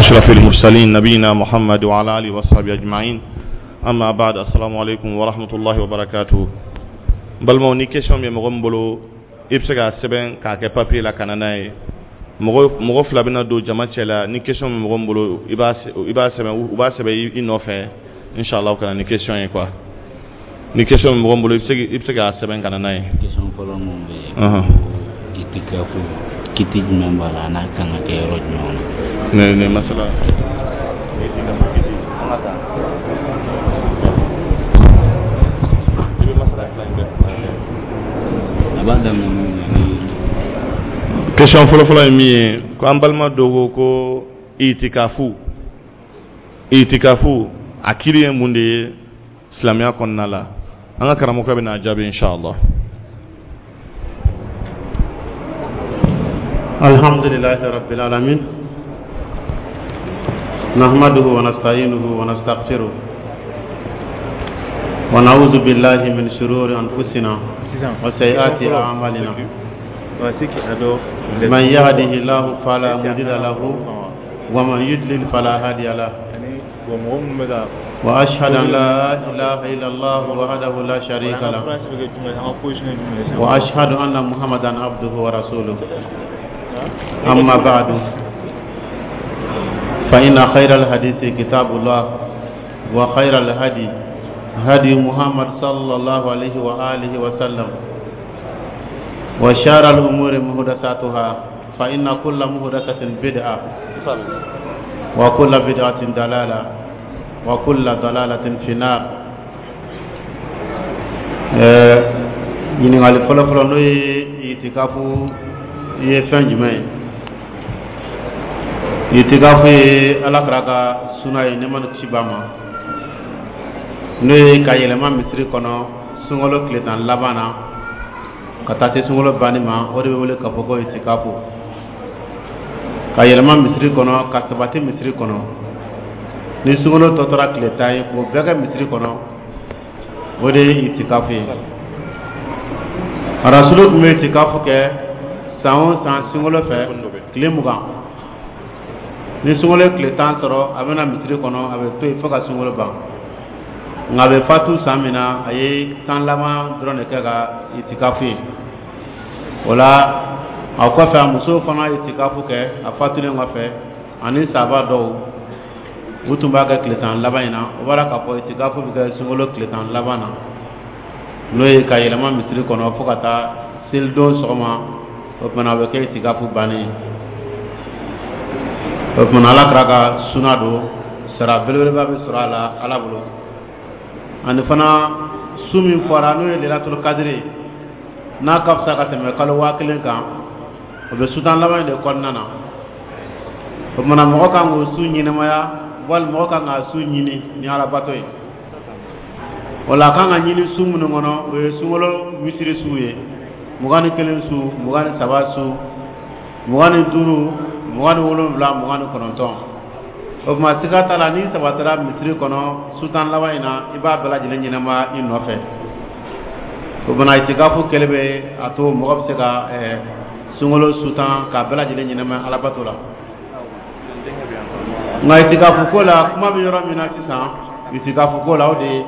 أشرف المرسلين نبينا محمد وعلى آله وصحبه أجمعين أما بعد السلام عليكم ورحمة الله وبركاته. Balimaw, ni question bɛ mɔgɔ min bolo, i bɛ se k'a sɛbɛn k'a kɛ papier la ka na n'a ye. Mɔgɔ fila bɛna don jama cɛ la. Ni question bɛ mɔgɔ min bolo, i b'a sɛbɛn, u b'a sɛbɛn i nɔfɛ, inshallah, ka na ni question ye quoi. Ni question bɛ mɔgɔ min bolo, i bɛ se k'a sɛbɛn ka na n'a ye. Question fɔlɔ mun bɛ yen, itikafu kiti jumɛn b'a la, a n'a kan ka kɛ yɔrɔ jumɛn na? Ne masala itikafu kiti, an ka taa, i bɛ masala fila in bɛɛ. A b'a daminɛ mun ye ni Question fɔlɔfɔlɔ ye min ye, ko an balima dɔ ko itikafu a kiri ye mun de ye silamɛya kɔnɔna la? An ka karamɔgɔkɛ bɛna a jaabi, inshallah. الحمد لله رب العالمين نحمده ونستعينه ونستغفره ونعوذ بالله من شرور أنفسنا وسيئات أعمالنا. من يهده الله فلا مضل له ومن يضلل فلا هادي له، وأشهد أن لا إله إلا الله وحده لا شريك له، وأشهد أن محمدا عبده ورسوله. أما بعد، فإن خير الحديث كتاب الله، وخير الهدي هدي محمد صلى الله عليه وآله وسلم، وشر الأمور محدثاتها، فإن كل محدثة بدعة وكل بدعة ضلالة وكل ضلالة في النار. Ɲininkali fɔlɔfɔlɔ, n'o ye itikafu ye fɛn jumɛn ye? Itikafu ye Ala kira ka suna ye, nɛɛma ni kisi b'a ma, n'o ye ka yɛlɛma misiri kɔnɔ sunkalo tile 10 laban na ka taa se sunkalo banni ma. O de bɛ wele k'a fɔ ko itikafu, ka yɛlɛma misiri kɔnɔ, ka sabati misiri kɔnɔ. Ni sunkalo tɔ tora tile 10 ye, k'o bɛɛ kɛ misiri kɔnɔ, o de ye itikafu ye. Rasulu tun bɛ itikafu kɛ san o san sunkalo fɛ tile 20. Ni sunkalo ye tile 10 sɔrɔ, a bɛna misiri kɔnɔ, a bɛ to yen fo ka sunkalo ban. Nka a bɛ fatu san min na, a ye 10 laban dɔrɔn de kɛ ka itikafu ye. O la, a kɔfɛ, a musow fana ye itikafu kɛ a fatulen kɔfɛ, ani sahaba dɔw, u tun b'a kɛ tile 10 laban in na. O b'a la k'a fɔ itikafu bɛ kɛ sunkalo tile 10 laban na, n'o ye ka yɛlɛma misiri kɔnɔ fo ka taa selidon sɔgɔma. O tuma, o bɛ kɛ itikafu bannen ye. O tuma, Ala kira ka suna don, sara belebeleba bɛ sɔrɔ a la Ala bolo. Ani fana, su min fɔra, n'o ye Lelatul Kadiri, n'a ka fisa ka tɛmɛ kalo 1000 kan, o bɛ su 10 laban in de kɔnɔna na. O tuma, mɔgɔ kan k'o su ɲɛnamaya, walima mɔgɔ kan k'a su ɲini ni Alabato ye. O la, a kan ka ɲini su minnu kɔnɔ, o ye sunkalo misiri su ye: 21 su, 23 su, 25, 27, 29. O tuma, siga t'a la, n'i sabatira misiri kɔnɔ su 10 laban in na, i b'a bɛɛ lajɛlen ɲɛnamaya i nɔfɛ. O fana, itikafu kɛlen bɛ a to mɔgɔ bɛ se ka sunkalo su 10 k'a bɛɛ lajɛlen ɲɛnamaya Alabato la. Nka itikafu ko la, kuma bɛ yɔrɔ min na sisan itikafu ko la, o de ye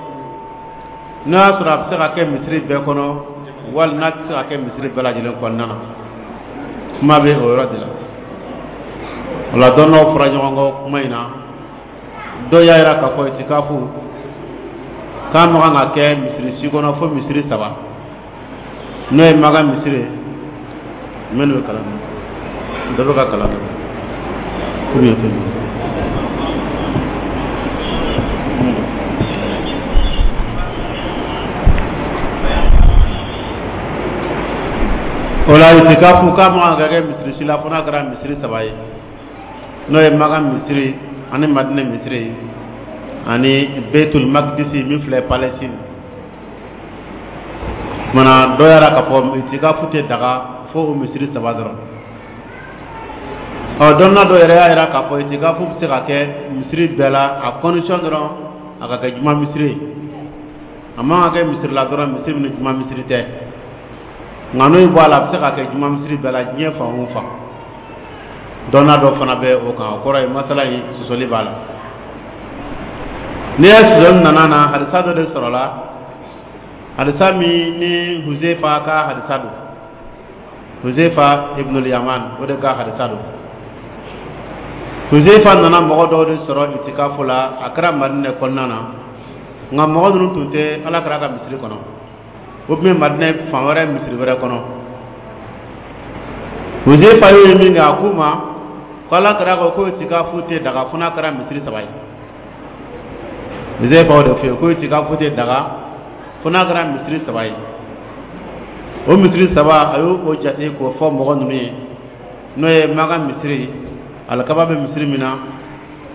n'a y'a sɔrɔ a bɛ se ka kɛ misiri bɛɛ kɔnɔ, wali n'a tɛ se ka kɛ misiri bɛɛ lajɛlen kɔnɔna na. Kuma bɛ o yɔrɔ de la. O la, dɔnniyaw fɔra ɲɔgɔn kɔ kuma in na. Dɔw y'a jira k'a fɔ itikafu k'a man kan ka kɛ misiri si kɔnɔ fo misiri saba, n'o ye Maka misiri ye. Minnu bɛ kalan na, dɔ bɛ ka kalan na ou bien fɛn. O la, itikafu k'a man kan ka kɛ misiri si la fo n'a kɛra misiri saba ye, n'o ye Maka misiri ani Madinɛ misiri ani Beitul Makdisi min filɛ Palestine. Kumana, dɔ y'a k'a fɔ itikafu tɛ daga fo o misiri saba dɔrɔn. Ɔ, dɔnna dɔ yɛrɛ y'a jira k'a fɔ itikafu bɛ se ka kɛ misiri bɛɛ la, a condition dɔrɔn a ka kɛ juma misiri ye. A man ka kɛ misiri la dɔrɔn, misiri min ni juma misiri tɛ. Nka n'o bɔ a la, a bɛ se ka kɛ juma misiri bɛɛ la diɲɛ fan o fan. Dɔnna dɔ fana bɛ o kan, o kɔrɔ ye masala in sɔsɔli b'a la. N'i ye sɔsɔli nana na, hadisa dɔ de sɔrɔla, hadisa min ni Huzefa ka hadisa don, Huzefa ibnul Yaman, o de ka hadisa don. Huzefa nana mɔgɔ dɔw de sɔrɔ itikafu la, a kɛra Madinɛ kɔnɔna na, nka mɔgɔ ninnu tun tɛ Ala kira ka misiri kɔnɔ, o tun bɛ Madinɛ fan wɛrɛ, misiri wɛrɛ kɔnɔ. Huzefa y'o ye min kɛ, a k'u ma ko Ala kira ko ko itikafu tɛ daga fo n'a kɛra misiri saba ye. Huzefa o de fɔ ye ko itikafu tɛ daga fo n'a kɛra misiri saba ye. O misiri saba, a y'o o jate k'o fɔ mɔgɔ ninnu ye, n'o ye Maka misiri, alikaba bɛ misiri min na,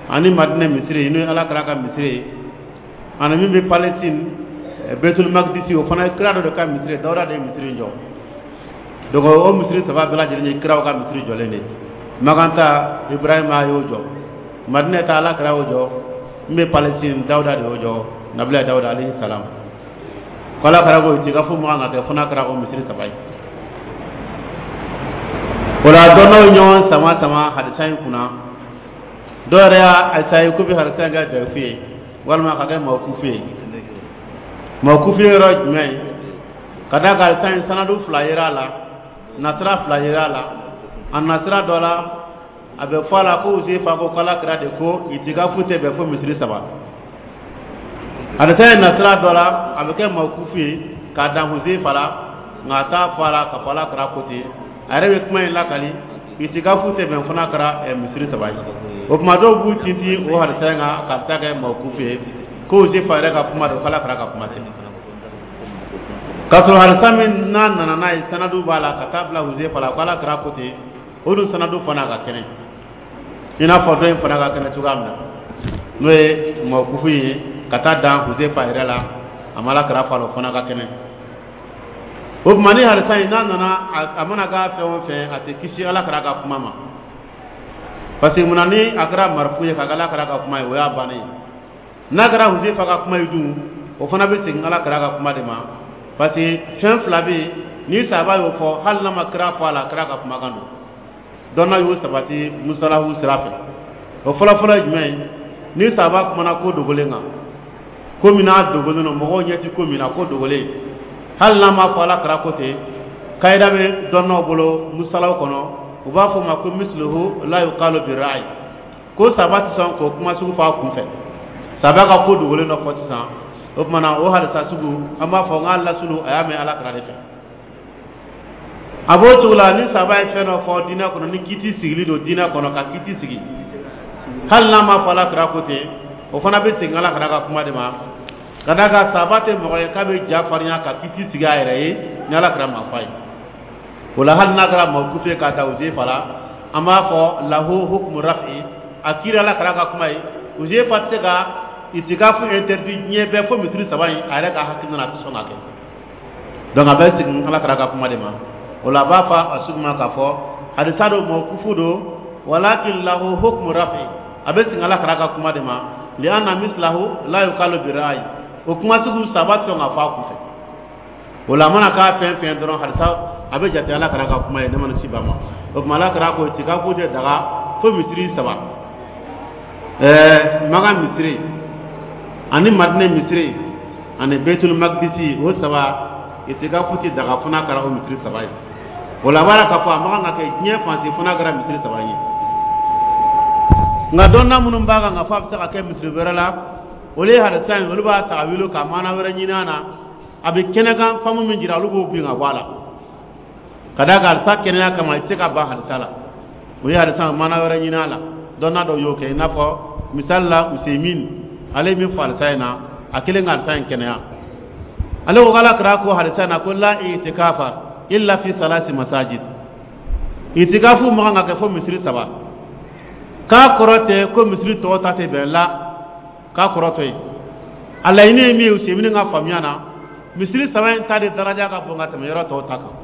ani Madinɛ misiri, n'o ye Ala kira ka misiri ye, ani min bɛ Palestine, Betul Makdisi, o fana ye kira dɔ de ka misiri ye, Dawuda de ye misiri in jɔ. Donc o misiri saba bɛɛ lajɛlen ye kiraw ka misiri jɔlen de ye. Makan ta, Ibrahima y'o jɔ, Madinɛ ta, Ala kira y'o jɔ, min bɛ Palestine, Dawuda de y'o jɔ, Nabila Dawuda alayhi salam. Ko Ala kira ko itikafu man kan ka kɛ fo n'a kɛra o misiri saba ye. O la, dɔnnaw ye ɲɔgɔn sama sama hadisa in kunna. Dɔw yɛrɛ y'a essayer k'u bɛ hadisa in kɛ dayifu ye walima ka kɛ mawkufu ye. Mawkufu ye yɔrɔ jumɛn ye? Ka d'a kan hadisa in sanadu fila yera a la, nasira fila yera a la. A nasira dɔ la, a bɛ fɔ a la ko Huzefa ko k'Ala kira de ko itikafu tɛ bɛn fo misiri saba. Hadisa in nasira dɔ la, a bɛ kɛ mawkufu ye k'a dan Huzefa la, nka a t'a fɔ a la k'a fɔ Ala kira ko ten. A yɛrɛ bɛ kuma in lakali, itikafu tɛ bɛn fo n'a kɛra misiri saba ye. O tuma, dɔw b'u tintin o hadisa in kan ka taa kɛ mawkufu ye, ko Huzefa yɛrɛ ka kuma don, k'Ala kira ka kuma tɛ. K'a sɔrɔ hadisa min n'a nana n'a ye, sanadu b'a la ka taa bila Huzefa la ko Ala kira ko ten, o dun sanadu fana ka kɛnɛ, i n'a fɔ dɔ in fana ka kɛnɛ cogoya min na, n'o ye mawkufu ye ka taa dan Huzefa yɛrɛ la, a ma Ala kira fɔ a la, o fana ka kɛnɛ. O tuma, ni hadisa in n'a nana, a mana k'a fɛn o fɛn, a tɛ kisi Ala kira ka kuma ma, parce que munna? Ni a kɛra marifu ye ka kɛ Ala kira ka kuma ye, o y'a bannen ye. N'a kɛra Huzefa ka kuma ye dun, o fana bɛ segin Ala kira ka kuma de ma, parce que fɛn fila bɛ yen, ni sahaba y'o fɔ, hali n'a ma kira fɔ a la, kira ka kumakan don. Dɔnna y'o sabati musalahu sira fɛ. O fɔlɔfɔlɔ ye jumɛn ye? Ni sahaba kumana ko dogolen kan, ko min n'a dogolen don, mɔgɔw ɲɛ ti ko min na, ko dogolen, hali n'a ma fɔ Ala kira ko ten, kayida bɛ dɔnnaw bolo musalaw kɔnɔ, u b'a fɔ o ma ko misluhu la yuqalu bi ra'yi, ko sahaba tɛ sɔn k'o kuma sugu fɔ a kun fɛ. Sahaba ka ko dogolen dɔ fɔ sisan, o tuma na, o hadisa sugu, an b'a fɔ n k'a lasulu, a y'a mɛn Ala kira de fɛ. A b'o cogo la, ni sahaba ye fɛn dɔ fɔ diinɛ kɔnɔ, ni kiti sigili don diinɛ kɔnɔ, ka kiti sigi, hali n'a ma fɔ Ala kira ko ten, o fana bɛ segin Ala kira ka kuma de ma, ka d'a kan sahaba tɛ mɔgɔ ye k'a bɛ ja farinya ka kiti sigi a yɛrɛ ye ni Ala kira ma fɔ a ye. O la, hali n'a kɛra mawkufu ye k'a ta Huzefa la, an b'a fɔ lahu hukmu rafi, a kiri Ala kira ka kuma ye. Huzefa tɛ se ka itikafu interdit diɲɛ bɛɛ fo misiri saba in, a yɛrɛ ka hakilina na, a tɛ sɔn ka kɛ. Donc a bɛ segin Ala kira ka kuma de ma. O la, a b'a fɔ a sugu ma k'a fɔ hadisa don, mawkufu don, walakin lahu hukmu rafi, a bɛ segin Ala kira ka kuma de ma, li'anna mislahu la yuqalu bi ra'yi, o kuma sugu, sahaba tɛ sɔn ka fɔ a kunfɛ. O la, a mana k'a fɛn fɛn dɔrɔn, hadisa a bɛ jate Ala kira ka kuma ye, ne mana ci ba ma. O tuma, Ala kira ko itikafu tɛ daga fo misiri saba, Maka misiri ani Madinɛ misiri ani Betul Makdisi, o saba, itikafu tɛ daga fo n'a kɛra o misiri saba ye. O la, a b'a la k'a fɔ a man kan ka kɛ diɲɛ fan si fo n'a kɛra misiri saba ye. Nka dɔnna minnu b'a kan k'a fɔ a bɛ se ka kɛ misiri wɛrɛ la, olu ye hadisa in, olu b'a ta wuli ka maana wɛrɛ ɲini a na. A bɛ kɛnɛkan faamu min jira, olu b'o bin ka bɔ a la, ka d'a kan hadisa kɛnɛya kama, i tɛ se ka ban hadisa la. O ye hadisa maana wɛrɛ ɲini a la, dɔnna dɔw y'o kɛ, i n'a fɔ misali la Useymin, ale ye min fɔ hadisa in na, a kelen ka hadisa in kɛnɛya, ale ko k'Ala kira ko hadisa in na ko la itikafa illa fi salasi masajid, itikafu man kan ka kɛ fo misiri saba. K'a kɔrɔ tɛ ko misiri tɔw ta tɛ bɛn la, k'a kɔrɔ tɔ ye. A laɲini ye min ye, Useymin ka faamuya na, misiri saba in ta de daraja ka bon ka tɛmɛ yɔrɔ tɔw ta kan,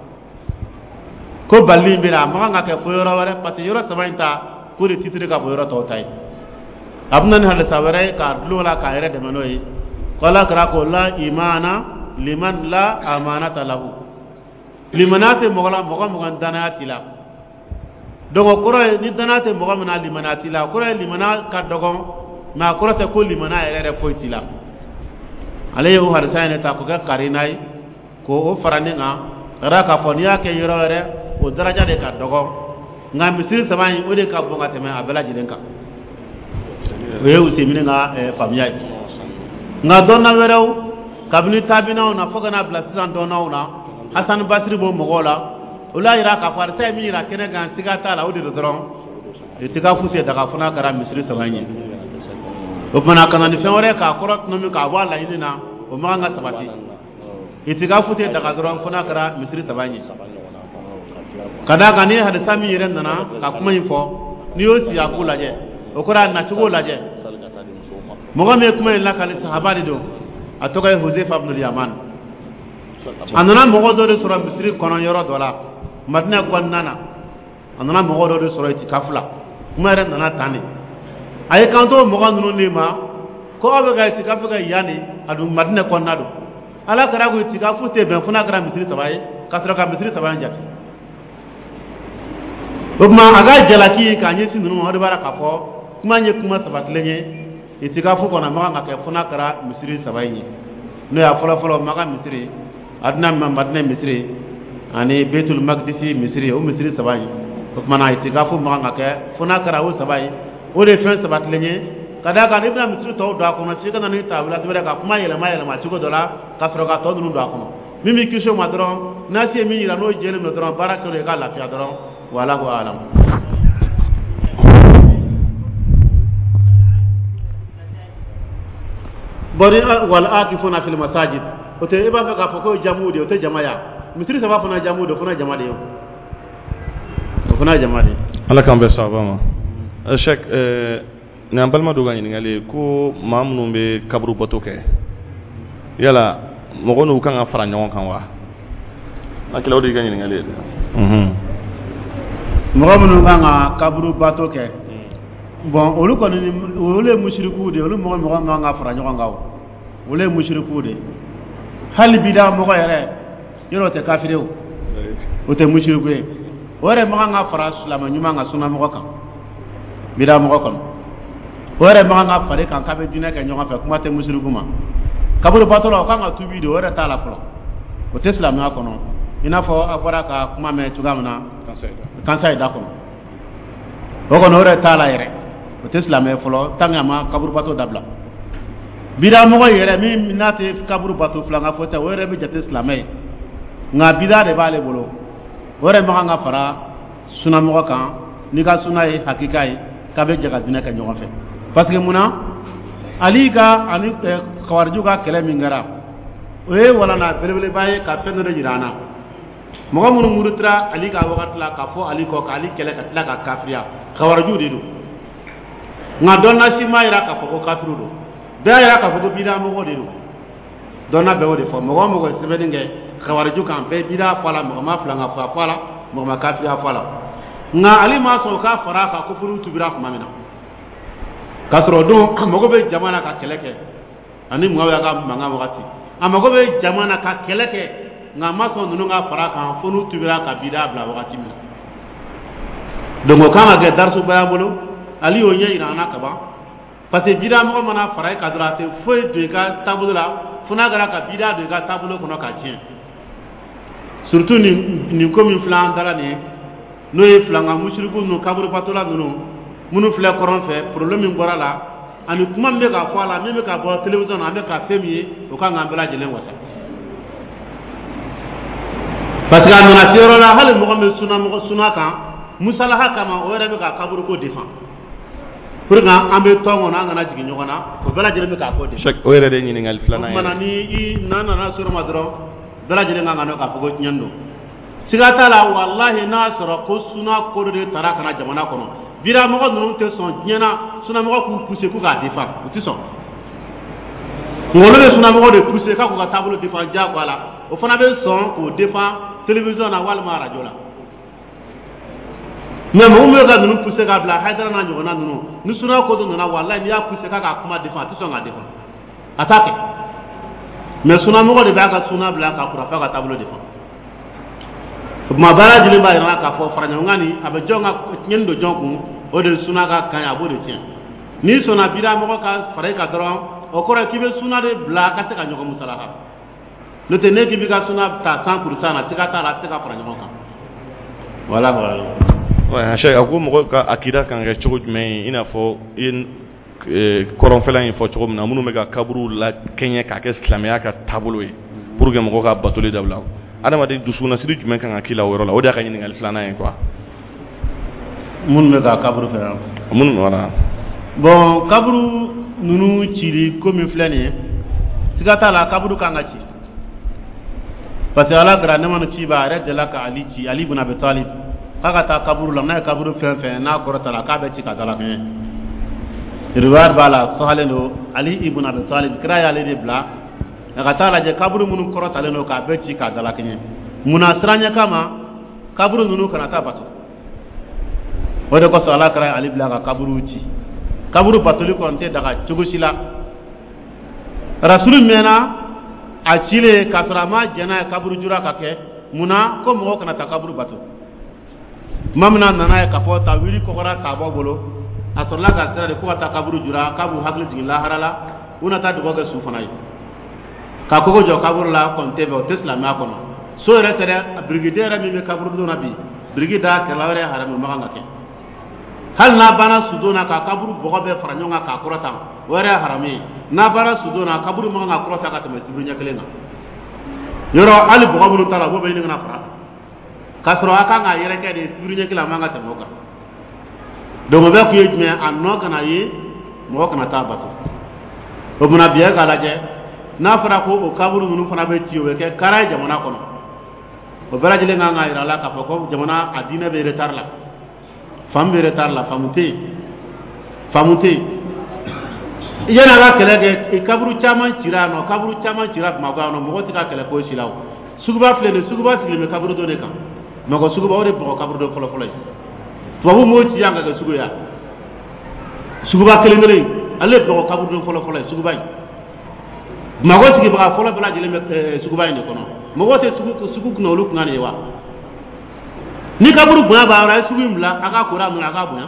ko balili in bɛ na, a man kan ka kɛ fo yɔrɔ wɛrɛ, parce que yɔrɔ saba in ta k'o de titiri ka bon yɔrɔ tɔw ta ye. A bɛ na ni hadisa wɛrɛ ye k'a dulon la k'a yɛrɛ dɛmɛ n'o ye, ko Ala kira ko la imana liman la amanata lahu, limaniya tɛ mɔgɔ la, mɔgɔ mɔgɔ danaya t'i la. Donc o kɔrɔ ye ni danaya tɛ mɔgɔ min na, limaniya t'i la. O kɔrɔ ye limaniya ka dɔgɔn, mais a kɔrɔ tɛ ko limaniya yɛrɛ yɛrɛ foyi t'i la. Ale ye o hadisa in de ta k'o kɛ karina ye, k'o fara nin kan, ka d'a k'a fɔ n'i y'a kɛ yɔrɔ wɛrɛ, o daraja de ka dɔgɔ, nka misiri saba in, o de ka bon ka tɛmɛ a bɛɛ lajɛlen kan. O ye Usemini ka faamuya ye. Nka dɔnna wɛrɛw, kabini tabinaw na fo ka n'a bila sisan dɔnnaw na, Hasani Basiri b'o mɔgɔw la, olu y'a jira k'a fɔ hadisa ye min jira kɛnɛ kan, siga t'a la, o de don dɔrɔn itikafu tɛ daga fo n'a kɛra misiri saba in ye. O tuma ka na ni fɛn wɛrɛ k'a kɔrɔ tɔnɔmi k'a bɔ a laɲini na, o man kan ka sabati. Itikafu tɛ daga dɔrɔn fo n'a kɛra misiri saba in ye, ka d'a kan ni hadisa min yɛrɛ nana ka kuma in fɔ, n'i y'o siyaku lajɛ, o kɔrɔ a nacogo lajɛ, mɔgɔ min ye kuma in lakali, sahaba de don, a tɔgɔ ye Huzefa ibn Yaman. A nana mɔgɔ dɔ de sɔrɔ misiri kɔnɔ yɔrɔ dɔ la Madina kɔnɔna na. A nana mɔgɔ dɔ de sɔrɔ itikafu la. Kuma yɛrɛ nana tan de. A ye kanto mɔgɔ ninnu de ma ko aw bɛ ka itikafu kɛ yan de, a dun Madina kɔnɔna don. Ala kira ko itikafu tɛ bɛn fo n'a kɛra misiri saba ye, ka sɔrɔ ka misiri saba in jate. O tuma a ka jalaki k'a ɲɛsin ninnu ma, o de b'a la k'a fɔ kuma in ye kuma sabatilen ye. Itikafu kɔnɔ a man kan ka kɛ fo n'a kɛra misiri saba in ye, n'o y'a fɔlɔ-fɔlɔ Maka misiri, adina Madina misiri ani Betul Makdisi misiri, o misiri saba in. O tuma na itikafu man kan ka kɛ fo n'a kɛra o saba ye. O de ye fɛn sabatilen ye, ka d'a kan n'i bɛna misiri tɔw don a kɔnɔ, f'i ka na ni tawila wɛrɛ ka kuma yɛlɛma yɛlɛma cogo dɔ la, ka sɔrɔ ka tɔ ninnu don a kɔnɔ. Min b'i kisi o ma dɔrɔn, nasi ye min yira n'o jɛlen don dɔrɔn, baara kɛ n'o ye ka lafiya dɔrɔn. Wallahu alam. Bon, ni wal akifuna fil masajid, o tɛ i b'a fɛ k'a fɔ ko jamu de, o tɛ jama ya. Misiri saba fana jamu de, o fana jama de ye, o fana jama de ye. Ala k'an bɛn sawaba ma. Cheikh, nin an balima dɔ ka ɲininkali ye ko maa minnu bɛ kaburu bato kɛ, yala mɔgɔ n'u kan ka fara ɲɔgɔn kan wa? Hakili, o de y'i ka ɲininkali ye dɛ. Mɔgɔ minnu kan ka kaburu bato kɛ, bon, olu kɔni, olu ye musirikuw de ye. Olu mɔgɔ man kan ka fara ɲɔgɔn kan. O olu ye musirikuw de ye. Hali bida mɔgɔ yɛrɛ yɔrɔ, o tɛ kafiri, o o tɛ musiriku ye, o yɛrɛ man kan ka fara silamɛ ɲuman kan, sunamɔgɔ kan. Bida mɔgɔ kɔnɔ, o yɛrɛ man kan ka fara kan k'a bɛ diinɛ kɛ ɲɔgɔn fɛ. Kuma tɛ musiriku ma. Kaburu bato la, o kan ka tubi de, o yɛrɛ t'a la fɔlɔ, o tɛ silamɛya kɔnɔ. I n'a fɔ a bɔra ka kuma mɛn cogoya min na kansa da kɔnɔ, o kɔni o yɛrɛ t'a la yɛrɛ, o tɛ silamɛ fɔlɔ tant que a ma kaburu bato dabila. Bida mɔgɔ yɛrɛ min n'a tɛ kaburu bato, filankafo tɛ, o yɛrɛ bɛ jate silamɛ ye, nka bida de b'ale bolo. O yɛrɛ man kan ka fara sunamɔgɔ kan n'i ka suna ye hakika ye k'a bɛ jɛ ka diinɛ kɛ ɲɔgɔn fɛ. Parce que munna Ali ka ani kawarijiw ka kɛlɛ min kɛra, o ye walanda belebeleba ye ka fɛn dɔ de jira an na. Mɔgɔ minnu murutira Ali ka wagati la ka fɔ Ali kɔ, k'Ali kɛlɛ ka tila ka kafiriya, kawarijiw de don. Nka dɔnna si m'a jira k'a fɔ ko kafiriw don. Bɛɛ y'a jira k'a fɔ ko bida mɔgɔw de don. Dɔnna bɛɛ y'o de fɔ. Mɔgɔ o mɔgɔ ye sɛbɛnni kɛ kawariju kan, bɛɛ bida fɔ a la, mɔgɔ ma filankafoya fɔ a la, mɔgɔ ma kafiriya fɔ a la. Nka Ali ma sɔn o ka fara a kan ko fo n'u tubira tuma min na, k'a sɔrɔ o don a mago bɛ jama na ka kɛlɛ kɛ ani Muawiya ka mankan wagati, a mago bɛ jama na ka kɛlɛ kɛ, nka a ma sɔn ninnu ka fara a kan fo n'u tubira ka bida bila wagati min na. Donc o kan ka kɛ darisuba y'an bolo. Ali y'o ɲɛ yira an na kaban, parce que bida mɔgɔ mana fara i kan dɔrɔn, a tɛ foyi don i ka taabolo la fo n'a kɛra ka bida don i ka taabolo kɔnɔ ka tiɲɛ. Surtout nin ko min filɛ an da la nin ye, n'o ye filanka musiriku ninnu, kaburubatola ninnu minnu filɛ kɔrɔn fɛ, problème min bɔra la ani kuma min bɛ ka fɔ a la, min bɛ ka bɔ télévision na, an bɛ ka fɛn min ye, o kan k'an bɛɛ lajɛlen wasa. Parce que a nana se yɔrɔ la, hali mɔgɔ min bɛ suna mɔgɔ suna kan musalaha kama, o yɛrɛ bɛ ka kaburuko défend pour que an bɛ tɔn kɔnɔ, an kana jigin ɲɔgɔn na, o bɛɛ lajɛlen bɛ k'a ko défend. O yɛrɛ de ye ɲininkali filanan ye. O tuma na ni i n'a nana sɔrɔ ma dɔrɔn, bɛɛ lajɛlen kan ka dɔn k'a fɔ ko tiɲɛni don. Siga t'a la, walahi, n'a sɔrɔ ko suna ko dɔ de taara ka na jamana kɔnɔ, biramɔgɔ ninnu tɛ sɔn diɲɛ na sunamɔgɔ k'u pousser k'u k'a défend, u tɛ sɔn. Nka olu bɛ sunamɔgɔ de pousser k'a k'u ka taabolo défend diyagoya la, o fana bɛ sɔn k'o défend télévision na walima radio la. Mais mɔgɔ min bɛ ka ninnu pousser k'a bila Hayidara n'a ɲɔgɔnna ninnu, ni suna ko dɔ nana, walahi, n'i y'a pousser k'a k'a kuma défend, a tɛ sɔn k'a défend, a t'a kɛ. Mais sunamɔgɔ de b'a ka suna bila ka kurafa ka taabolo défend. O tuma bɛɛ lajɛlen b'a yira k'a fɔ faraɲɔgɔnkan nin, a bɛ jɔn ka tiɲɛni don jɔn kun, o de ye suna ka kan ye, a b'o de tiɲɛ. N'i sɔnna bida mɔgɔ ka fara i kan dɔrɔn, o kɔrɔ ye k'i bɛ suna de bila ka se ka ɲɔgɔn musalaha. N'o tɛ, ne k'i b'i ka suna ta 100 % na, siga t'a la, a tɛ se ka fara ɲɔgɔn kan. Voilà voilà. Ouais, Cheikh, a ko mɔgɔ ka akida kan kɛ cogo jumɛn ye? I n'a fɔ i ye kɔrɔnfɛla in fɔ cogo min na, minnu bɛ ka kaburu la kɛɲɛ k'a kɛ silamɛya ka taabolo ye pour que mɔgɔw ka batoli dabila, adamaden dusukunnasiri jumɛn kan ka k'i la o yɔrɔ la? O de y'a ka ɲininkali filanan ye quoi. Minnu bɛ ka kaburu fɛ yan? Minnu, voilà. Bon, kaburu ninnu cili ko min filɛ nin ye, siga t'a la, kaburu kan ka ci, parce que Ala kɛra ne ma ci ba a yɛrɛ delila ka Ali ci, Ali ibn Abi Talib, k'a ka taa kaburu la. N'a ye kaburu fɛn fɛn n'a kɔrɔta la, k'a bɛ ci ka dala kɛɲɛ. Riwaya b'a la, sahalen don. Ali ibn Abi Talib, kira y'ale de bila a ka taa lajɛ kaburu minnu kɔrɔtalen don, k'a bɛɛ ci k'a dala kɛɲɛ. Munna? Siranɲɛ kama, kaburu ninnu kana taa bato. O de kosɔn Ala kɛra Ali bila ka kaburu ci. Kaburu batoli kɔni tɛ daga cogo si la. Rasulu mɛnna a cilen k'a sɔrɔ a ma jɛn n'a ye kaburu jura ka kɛ. Munna? Ko mɔgɔw kana taa kaburu bato. Tuma min na a nana ye k'a fɔ tawili kɔgɔra sahabaw bolo, a sɔrɔla ka sira de ko ka taa kaburu jura, k'a b'u hakili jigin lahara la, u na taa dugawu kɛ su fana ye. Ka kogo jɔ kaburu la kɔni tɛ bɛn, o tɛ silamɛya kɔnɔ. So yɛrɛ tɛ dɛ, birikiden yɛrɛ min bɛ kaburudon na bi, biriki da kɛrɛ la yɛrɛ ye haramu, man kan ka kɛ. Hali n'a banna sudon na ka kaburu bɔgɔ bɛɛ fara ɲɔgɔn kan k'a kɔrɔta, o yɛrɛ ye haramu ye. N'a banna sudon na, kaburu man kan ka kɔrɔta ka tɛmɛ sibiri ɲɛ kelen kan. Yɔrɔ hali bɔgɔ minnu ta la, o b'o bɛ ɲini ka na fara k'a sɔrɔ a kan k'a yɛrɛkɛ de sibiri ɲɛ kelen, a man kan ka tɛmɛ o kan. Donc o bɛɛ kun ye jumɛn? A nɔ kana ye, mɔgɔ kana taa bato. O tuma bi k'a lajɛ, n'a fɔra ko o kaburu ninnu fana bɛ ci, o bɛ kɛ kara ye jamana kɔnɔ. O bɛɛ lajɛlen kan k'a jira a la k'a fɔ ko jamana a diinɛ bɛ retard la, faamu bɛ retard la, faamu tɛ yen, faamu tɛ yen. Yanni a ka kɛlɛ kɛ, kaburu caman cira yan nɔ, kaburu caman cira Bamakɔ yan nɔ, mɔgɔ tɛ ka kɛlɛ foyi si la. O suguba filɛ nin ye, suguba sigilen bɛ kaburudo de kan. Bamakɔ suguba, o de Bamakɔ kaburudo fɔlɔ-fɔlɔ ye. Tubabu m'o ci yan ka kɛ sugu ye, suguba kelen kelen, ale ye Bamakɔ kaburudo fɔlɔ-fɔlɔ ye. Suguba in, Bamakɔ sigibaga fɔlɔ bɛɛ lajɛlen bɛ suguba in de kɔnɔ. Mɔgɔ tɛ sugu kunna, olu kunna de ye wa. Ni kaburu bonya b'a yɔrɔ, a ye sugu in bila a ka kora minɛ, a k'a bonya.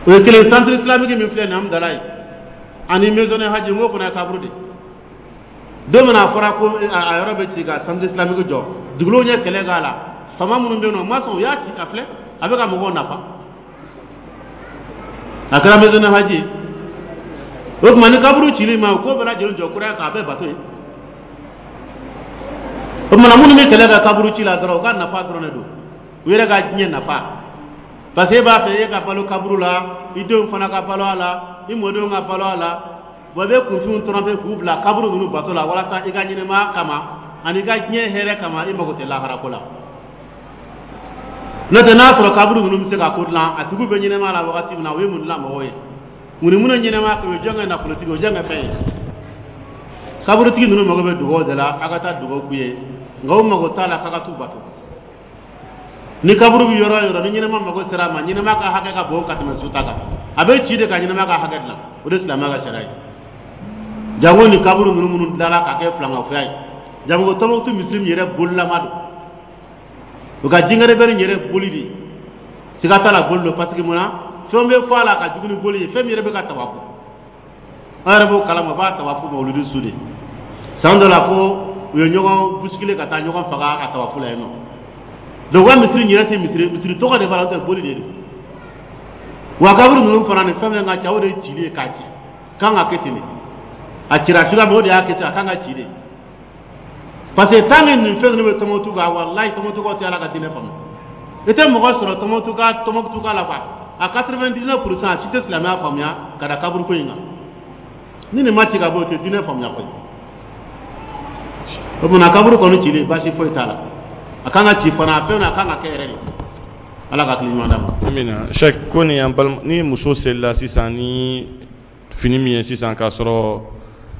O ye kelen. Centre islamique min filɛ nin ye Hamdallaye ani maison haji, n k'o fana ye kaburu de. Don min na a fɔra ko a yɔrɔ bɛ ci ka centre islamique jɔ, dugulenw ye kɛlɛ k'a la. Faama minnu bɛ yen nɔ, u ma sɔn, u y'a ci. A filɛ, a bɛ ka mɔgɔw nafa, a kɛra maison haji. O tuma ni kaburu cili ma, o ko bɛɛ lajɛlen jɔ kura ye k'a bɛɛ bato ye. O tuma minnu bɛ kɛlɛ kɛ kaburu ci la dɔrɔn, u ka nafa dɔrɔn de don, u yɛrɛ ka diɲɛ nafa. Parce que e b'a fɛ e ka balo kaburu la, i denw fana ka balo a la, i mɔdenw ka balo a la. Bon, i bɛ kunfinw tromper k'u bila kaburu ninnu bato la walasa i ka ɲɛnɛmaya kama ani i ka diɲɛ hɛrɛ kama. I mago tɛ lahara ko la. N'o tɛ, n'a sɔrɔ kaburu ninnu bɛ se ka ko dilan, a tigiw bɛ ɲɛnɛmaya la wagati min na, u ye mun dilan mɔgɔw ye? Mun ni minnu ɲɛnɛmaya kɛ, o ye jɔn kɛ nafolotigi, o ye jɔn kɛ fɛn ye? Kaburutigi ninnu mago bɛ dugawu de la, a ka taa dugawu k'u ye, nka u mago t'a la k'a ka t'u bato. Ni kaburu bɛ yɔrɔ o yɔrɔ, ni ɲɛnɛma mago sera a ma, ɲɛnɛma ka hakɛ ka bon ka tɛmɛ su ta kan, a bɛ ci de ka ɲɛnɛma ka hakɛ dilan. O de silamɛya ka sariya ye. Jango ni kaburu ninnu minnu dilanna k'a kɛ filankafoya ye, jango Tɔnbukutu misiri min yɛrɛ bolilama don, u ka jinɛrɛbɛri yɛrɛ boli de, siga t'a la, boli don. Parce que mun na? Fɛn bɛ fɔ a la ka jugu ni boli ye, fɛn min yɛrɛ bɛ ka tawafu, an yɛrɛ b'o kalama, u b'a tawafu mawuludu su de. San dɔ la ko u ye ɲɔgɔn bousculer ka taa ɲɔgɔn faga a tawafu la yen nɔ. Donc u ka misiri yɛrɛ tɛ misiri, misiri tɔgɔ de b'a la, o tɛ, boli de don. Wa kaburu ninnu fana, ni fɛn fɛn ka ca, o de ye cili ye k'a ci. Kan ka kɛ ten de, a cira cogoya min, o de y'a kɛ ten, a kan ka ci de. Parce que tant que nin fɛn ninnu bɛ Tɔnbukutu kan, walayi, Tɔnbukutukaw tɛ Ala ka diinɛ faamu. I tɛ mɔgɔ sɔrɔ Tɔnbukutu ka Tɔnbukutu ka la quoi, a 99 %, a si tɛ silamɛya faamuya ka da kaburu ko in kan. Ni nin ma ci ka bɔ, o tɛ diinɛ faamuya koyi. O tuma kaburu kɔni cili, baasi foyi t'a la, a kan ka ci fana, a fɛn a kan ka kɛ yɛrɛ de. Ala ka hakili ɲuman d'a ma. Amina. Cheikh, ko nin y'an balima ni muso selila sisan ni fini min ye sisan k'a sɔrɔ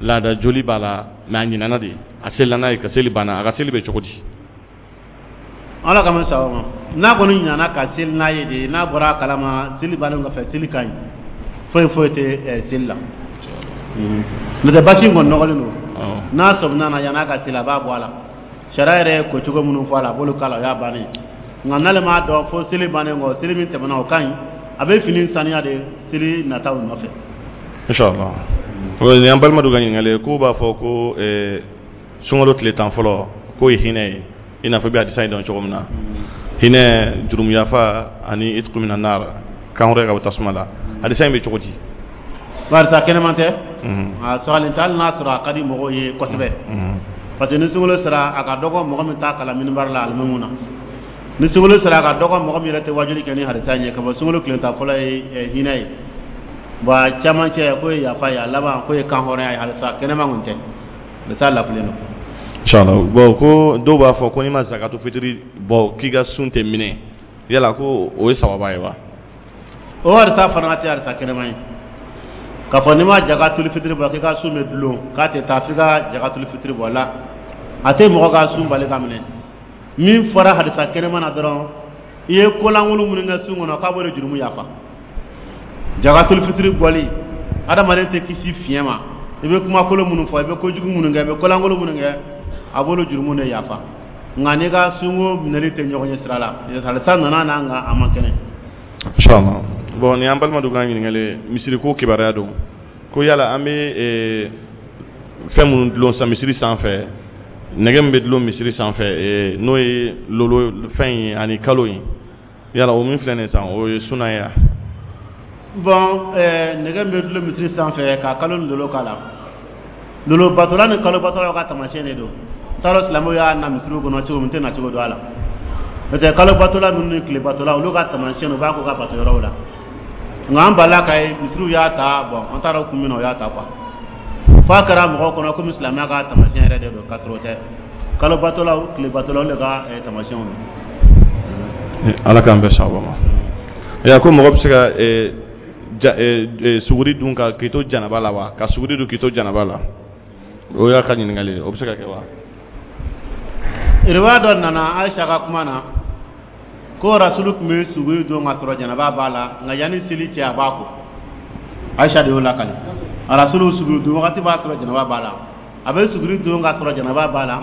laada joli b'a la, mais a ɲinana de, a selila n'a ye, ka seli banna, a ka seli bɛ cogo di? Ala ka mɛn sababu ma. N'a kɔni ɲinana ka seli n'a ye de, n'a bɔra a kalama seli bannen kɔfɛ, seli ka ɲi, foyi foyi tɛ seli la. N'o tɛ, basi in kɔni nɔgɔlen don. N'a sɔmina na, yan'a ka seli, a b'a bɔ a la. Sariya yɛrɛ ye ko cogo minnu fɔ a la, a b'olu k'a la, o y'a bannen. Nka n'ale m'a dɔn fo seli bannen kɔ, seli min tɛmɛna, o ka ɲi, a bɛ fini saniya de seli nataw nɔfɛ. Inshallah. Nin y'an balima dɔ ka ɲininkali ye, k'u b'a fɔ ko sunkalo tile 10 fɔlɔ k'o ye hinɛ ye, i n'a fɔ i bɛ hadisa in dɔn cogo min na, hinɛ, jurumu yafa ani itqu mina nar, kanhɔrɔnya ka bɔ tasuma la. Hadisa in bɛ cogo di? Barisa kɛnɛman tɛ, a sɔgɔlen tɛ, hali n'a sɔrɔ a ka di mɔgɔw ye kosɛbɛ, parce que ni sunkalo sera, a ka dɔgɔ mɔgɔ min t'a kalan minibari la alimamu na. Ni sunkalo sera, a ka dɔgɔ mɔgɔ min yɛrɛ tɛ wajuli kɛ ni hadisa in ye, ka fɔ sunkalo tile 10 fɔlɔ ye hinɛ ye. Bon, a camancɛ k'o ye yafa ye, a laban k'o ye kanhɔrɔnya ye. Hadisa kɛnɛman kun tɛ, hadisa lafilen don. Inshallah. Bon, ko dɔw b'a fɔ ko n'i ma zakatu fitiri bɔ, k'i ka sun tɛ minɛ, yala ko o ye sababa ye wa? O hadisa fana tɛ hadisa kɛnɛman ye, k'a fɔ n'i ma jakatuli fitiri bɔ k'i ka sun bɛ dulon, k'a tɛ taa f'i ka jakatuli fitiri bɔ la. A tɛ mɔgɔ ka sun bali ka minɛ. Min fɔra hadisa kɛnɛman na dɔrɔn, i ye kolankolon minnu kɛ sun kɔnɔ, k'a b'o de jurumu yafa. Jakatuli fitiri bɔli, adamaden tɛ kisi fiɲɛ ma. I bɛ kumakolon minnu fɔ, i bɛ kojugu minnu kɛ, i bɛ kolankolon minnu kɛ, a b'olu jurumu de yafa. Nka n'i ka sunko minɛli tɛ ɲɔgɔn ye sira la. Hadisa nana n'a, nka a man kɛnɛ. Inshallah. Bon, nin y'an balima dɔ ka ɲininkali ye, misiri ko kibaruya don, ko yala an bɛ fɛn minnu dulon sisan misiri sanfɛ, nɛgɛ min bɛ dulon misiri sanfɛ, n'o ye lolo fɛn ye ani kalo ye, yala o min filɛ nin ye sisan, o ye suna ye wa? Bon, nɛgɛ min bɛ dulon misiri sanfɛ ka kalo ni lolo k'a la, lolo batola ni kalo batola ka taamasiyɛn de don. N t'a dɔn silamɛw y'a na misiriw kɔnɔ cogo min, n tɛ na cogo dɔn a la. N'o tɛ, kalo batola ninnu ni tile batola, olu ka taamasiyɛn, u b'a k'u ka bato yɔrɔw la. Nka an balila ka ye misiriw y'a ta. Bon, an t'a dɔn kun min na o y'a ta quoi, f'a kɛra mɔgɔw kɔnɔ komi silamɛya ka taamasiyɛn yɛrɛ de don, k'a sɔrɔ o tɛ. Kalo batolaw, tile batolaw, olu de ka taamasiyɛnw don. Ala k'an bɛn sababa ma. Ya, ko mɔgɔ bɛ se ka suguri dun ka k'i to janaba la wa? Ka suguri dun k'i to janaba la, o y'a ka ɲininkali ye, o bɛ se ka kɛ wa? Riwaya dɔ nana Ayisa ka kuma na ko Rasulu tun bɛ suguri dun ka sɔrɔ janaba b'a la, nka yanni seli cɛ, a b'a ko. Ayisa de y'o lakale. Rasulu suguri dun wagati b'a sɔrɔ janaba b'a la, a bɛ suguri dun ka sɔrɔ janaba b'a la,